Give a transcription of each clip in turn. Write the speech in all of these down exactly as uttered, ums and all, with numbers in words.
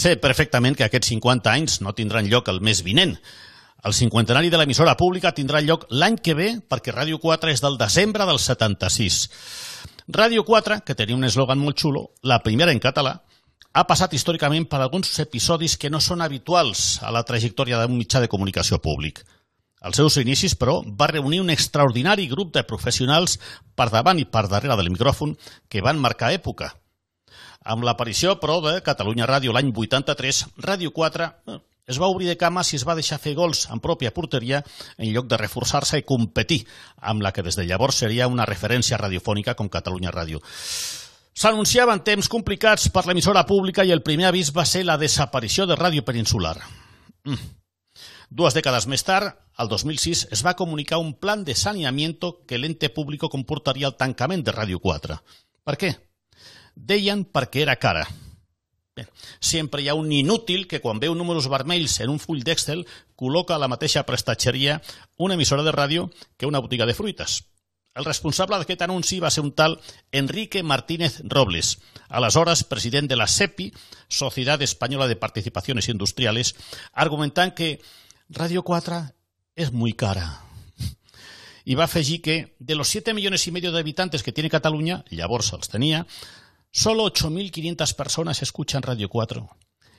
Sé perfectament que aquests cinquanta anys no tindran lloc el mes vinent. El cinquantenari de l'emissora pública tindrà lloc l'any que ve perquè Ràdio quatre és del desembre del setanta-sis. Ràdio quatre, que tenia un eslògan molt xulo, la primera en català, ha passat històricament per alguns episodis que no són habituals a la trajectòria d'un mitjà de comunicació públic. Als seus inicis, però, va reunir un extraordinari grup de professionals per davant i per darrere del micròfon que van marcar època. Amb l'aparició, però, de Catalunya Ràdio l'any vuitanta-tres, Ràdio quatre es va obrir de cames i es va deixar fer gols en pròpia porteria en lloc de reforçar-se i competir amb la que des de llavors seria una referència radiofònica com Catalunya Ràdio. S'anunciaven temps complicats per l'emissora pública i el primer avís va ser la desaparició de Ràdio Peninsular. Mm. Dues dècades més tard, el dos mil sis, es va comunicar un plan de saneamiento que l'ente público comportaria el tancament de Ràdio quatre. Per què? Deien perquè era cara. Bé, sempre hi ha un inútil que quan veu números vermells en un full d'Excel col·loca a la mateixa prestatgeria una emissora de ràdio que una botiga de fruites. El responsable d'aquest anunci va ser un tal Enrique Martínez Robles, aleshores president de la SEPI, Sociedad Española de Participaciones Industriales, argumentant que Ràdio quatre és muy cara. I va afegir que de los siete millones y medio de habitantes que tiene Cataluña, llavors els tenia, solo ocho mil quinientas personas escuchan Radio cuatro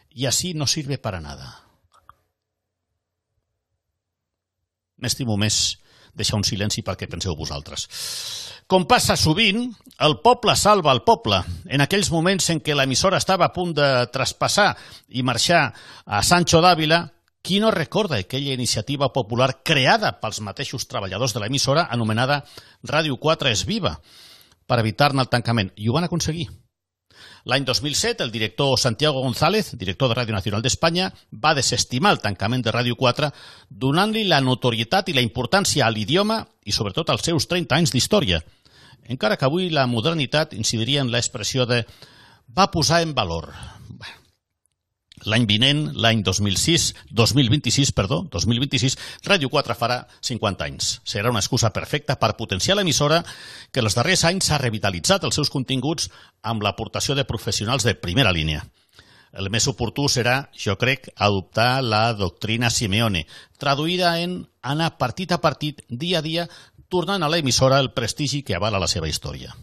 y así no sirve para nada. M'estimo més deixar un silenci perquè penseu vosaltres. Com passa sovint, el poble salva el poble. En aquells moments en què l'emissora estava a punt de traspassar i marxar a Sancho d'Àvila, qui no recorda aquella iniciativa popular creada pels mateixos treballadors de l'emissora anomenada Ràdio quatre és viva per evitar-ne el tancament? I ho van aconseguir. L'any dos mil set, el director Santiago González, director de Ràdio Nacional d'Espanya, va desestimar el tancament de Ràdio quatre donant-li la notorietat i la importància a l'idioma i sobretot als seus trenta anys d'història. Encara que avui la modernitat incidiria en l'expressió de va posar en valor. L'any vinent, l'any dos mil sis, dos mil vint-i-sis, perdó, dos mil vint-i-sis, Ràdio quatre farà cinquanta anys. Serà una excusa perfecta per potenciar l'emissora que els darrers anys ha revitalitzat els seus continguts amb l'aportació de professionals de primera línia. El més oportú serà, jo crec, adoptar la doctrina Simeone, traduïda en anar partit a partit, dia a dia, tornant a l'emissora el prestigi que avala la seva història.